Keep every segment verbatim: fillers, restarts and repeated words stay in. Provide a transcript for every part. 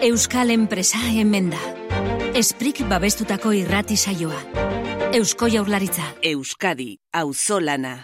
Euskal enpresa hemen da. Esprik babestutako irrati saioa. Eusko Jaurlaritza. Euskadi, auzolana.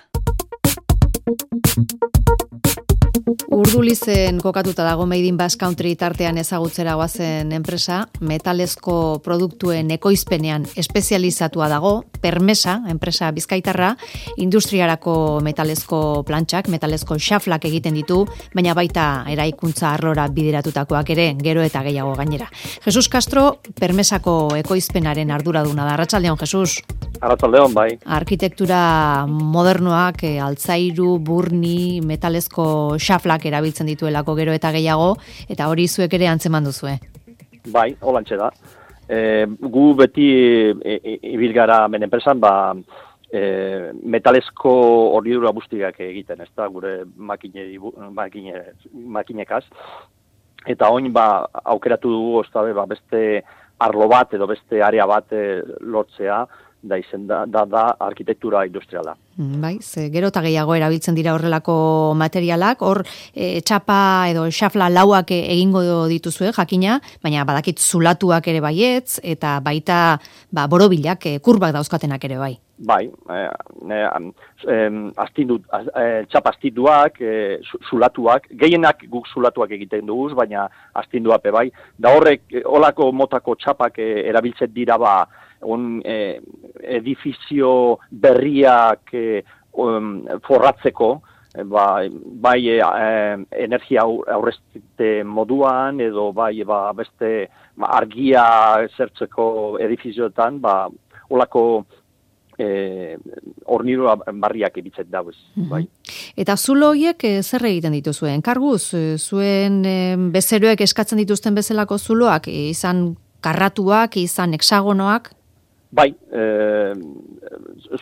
Urdulizen kokatuta dago Made in Basque Country tartean ezagutzera goazen enpresa, metalezko produktuen ekoizpenean espezializatua dago, Permesa, enpresa bizkaitarra, industriarako metalezko plantxak, metalezko xaflak egiten ditu, baina baita eraikuntza arlora bideratutakoak ere, gero eta gehiago gainera. Jesus Castro, Permesako ekoizpenaren arduraduna da. Arratsaldeon, Jesus. Arratsaldeon, bai. Arkitektura modernoak, e, altzairu, burni, metalezko xaflak erabiltzen dituelako gero eta gehiago, eta hori zuek ere antzeman duzue. Bai, holantxe da. E, gu beti e, e, ibilgara men enpresan, ba, e, metalezko hornidura guztiak egiten, ez da, gure makine, makine, makinekaz. Eta oin, ba, aukeratu dugu, oztabe, ba, beste arlo bat edo beste area bat e, lortzea, da izen da, da, da arkitektura industriala. Bai, ze gero eta gehiago erabiltzen dira horrelako materialak, hor e, txapa edo xafla lauak egingo dituzue, jakina, baina badakit zulatuak ere baietz, eta baita ba, borobilak, e, kurbak dauzkatenak ere bai. Bai, eh, eh, eh, astindu, eh, txapa astinduak, eh, zulatuak, gehienak guk zulatuak egiten dugu, baina astinduape bai, da horrek, holako motako txapak eh, erabiltzen dira ba, un eh, edifizio berriak eh, um, forratzeko, eh, bai, bai eh, energia aurrezte moduan, edo bai ba, beste ba, argia zertzeko edifizioetan, ba, holako Eh, hornidura barriak ibitzen dauz, bai. Eta zulo horiek eh, zer egiten dituzuen? Karguz, eh, zuen eh, bezeroek eskatzen dituzten bezalako zuloak, eh, izan karratuak, izan hexagonoak? Bai, eh,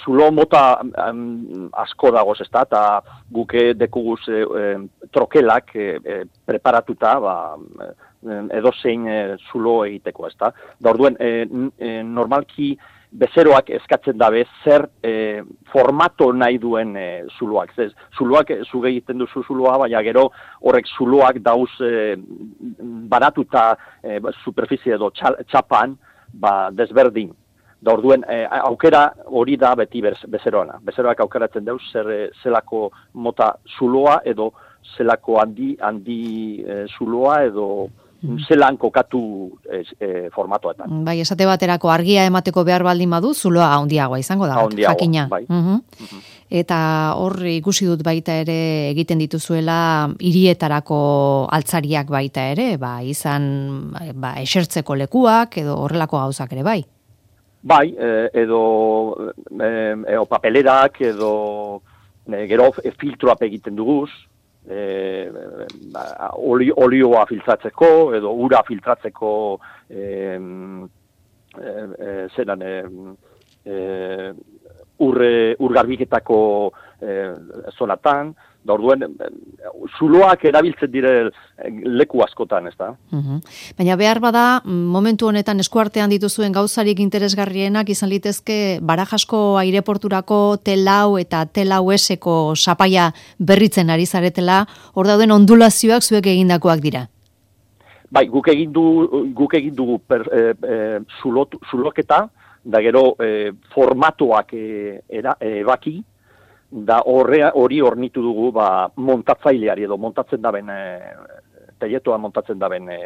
zulo mota um, asko dagoz ez da, eta guke dekuguz eh, trokelak eh, eh, preparatuta, ba, edozein eh, zulo egiteko ez da. Da orduen, eh, eh, normalki bezeroak eskatzen dabe zer e, formato nahi duen e, zuloak. Zez, zuloak, zuge egiten duzu zuloa, baina gero horrek zuloak dauz e, baratuta e, superficie edo txapan ba, desberdin. Da orduen, e, aukera hori da beti bezeroana. Bezeroak aukeratzen dauz zer zelako mota zuloa edo zelako handi, handi e, zuloa edo zelan kokatu e, e, formatoetan. Bai, esate baterako argia emateko behar baldin badu, zuloa handiagoa izango da, handiagoa, jakina. Bai. Uh-huh. Uh-huh. Eta hor ikusi dut baita ere egiten dituzuela hirietarako altzariak baita ere, ba, izan ba, esertzeko lekuak edo horrelako gauzak ere bai. Bai, edo, edo papelerak, edo e, gero filtroap egiten duguz, E, oli, olioa filtratzeko edo ura filtratzeko e, e, e, zeran e, e, urre, urgarbiketako e, zonatan, da orduen zuloak erabiltzen dire leku askotan, ez da? Uh-huh. Baina behar bada, momentu honetan eskuartean dituzuen gauzarik interesgarrienak izan litezke Barajasko aireporturako telau eta telau eseko sapaia berritzen ari zaretela, hor dauden ondulazioak zuek egindakoak dira. Bai, guk egin du, guk egin dugu per, e, e, zulot, zuloketa, da gero e, formatoak e, era, e, baki, da horre, hori hornitu dugu ba, montatzaileari edo montatzen daben, e, teietoa montatzen daben e,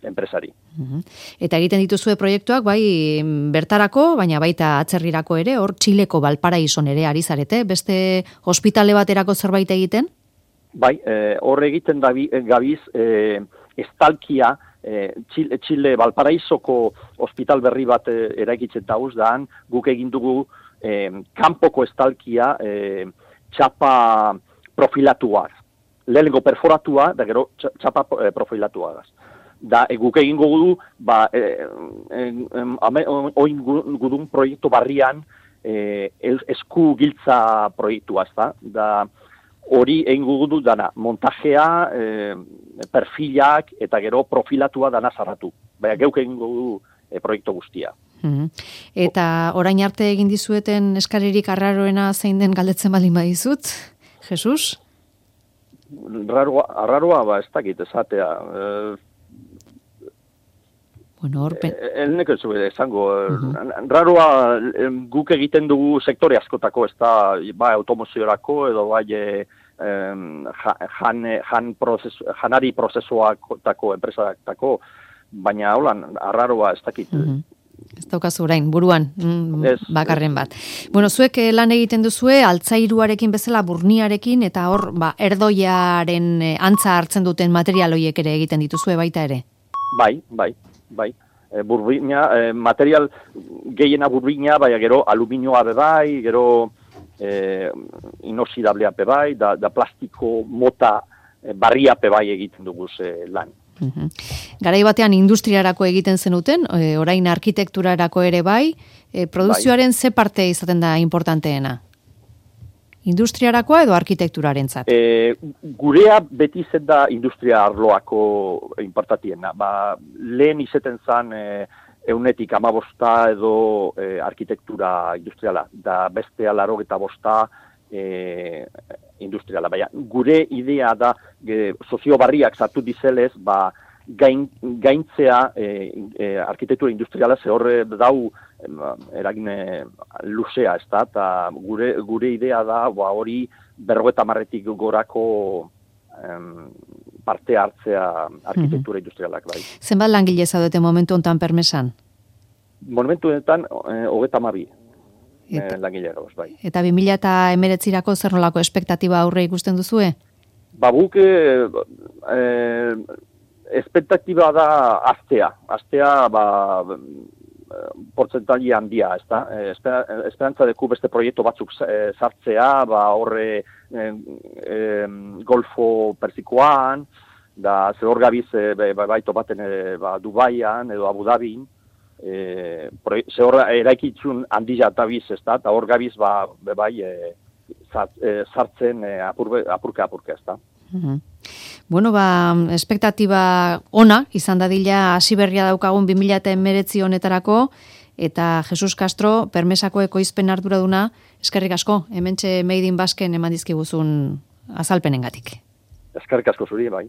enpresari. Uh-huh. Eta egiten dituzue proiektuak, bai bertarako, baina baita atzerrirako ere, hor Txileko Valparaison ere ari zarete, beste ospitale baterako zerbait egiten? Bai, e, hor egiten dabi, gabiz, e, estalkia, e, Txile, Txile Valparaisoko ospital berri bat e, eraikitzen dauz, daan guk egin dugu E, kanpoko estalkia e, txapa profilatuak. Lehenengo perforatua, da gero txapa e, profilatuagaz. Da, e, guk egingo gudu, ba, e, e, e, oin gudun proiektu barrian e, esku giltza proiektua, ez da? Da, hori egingo gudu dana, montajea, e, perfilak, eta gero profilatua dana zarratu. Baina geuk egingo gudu e, proiektu guztia. Mm-hmm. Eta orain arte egin dizueten eskaririk arraroena zein den galdetzen baldin badizut, Jesus? Arraroa, arraroa ba, ez dakit esatea. E, Bueno, horpen... Elneko ez zuen, esango, Uh-huh. raroa guk egiten dugu sektore askotako, ez da, bai automoziorako edo bai eh, jan, jan prozesu, janari prozesuakotako enpresatako, baina holan, arraroa ez dakit. Uh-huh. Ez daukazu orain, buruan, mm, Ez, bakarren bat. Bueno, zuek eh, lan egiten duzue, altzairuarekin bezala burniarekin, eta hor, ba, erdoiaren eh, antza hartzen duten material horiek ere egiten dituzue baita ere. Bai, bai, bai. E, burbina, e, material gehiena burbina, bai, gero aluminioa be bai, gero e, inoxidablea be bai, da, da plastiko mota e, barria be bai egiten dugu e, lan. Uhum. Garai batean industriarako egiten zenuten, e, orain arkitekturarako ere bai, e, produzioaren bai. Ze parte izaten da importanteena? Industriarakoa edo arkitekturarentzat? E, gurea beti zen da industria arloako importantiena. Ba, lehen izeten zan e, eunetik amabosta edo e, arkitektura industriala, da beste alaro eta bosta e, industriala. Baina, gure idea da, e, sozio barriak sartu dizelez, ba, gain, gaintzea e, e, arkitektura industriala ze horre dau eragin luzea, ez da, eta gure, gure idea da, ba, hori berrogeta marretik gorako em, parte hartzea arkitektura industrialak, bai. Zenbat langile zaudete momentu honetan permesan? Momentu honetan, eh, hogeta mabi eta, eh, langile gauz, bai. Eta bi mila hemeretzirako zer nolako espektatiba aurre ikusten duzue? Ba, guk eh, eh, espektatiba da aztea. Aztea, ba, portzentaili handia, ez da? Esperantza deku beste proiektu batzuk sartzea, ba, horre e, e, Golfo Persikoan, da ze hor gabiz e, baito baten e, ba, Dubaian edo Abu Dhabin, e, ze hor eraikitzun handia eta biz, ez da? Eta hor gabiz ba, bai e, sartzen e, apurke apurke, ez da? Uh-huh. Bueno, ba, espektatiba ona, izan dadila hasi berria daukagun bi mila hemeretzi honetarako, eta Jesus Castro, permesako ekoizpen arduraduna, eskerrik asko, hementxe Made in Basken eman dizkiguzun azalpenengatik. Eskerrik asko zuri, bai.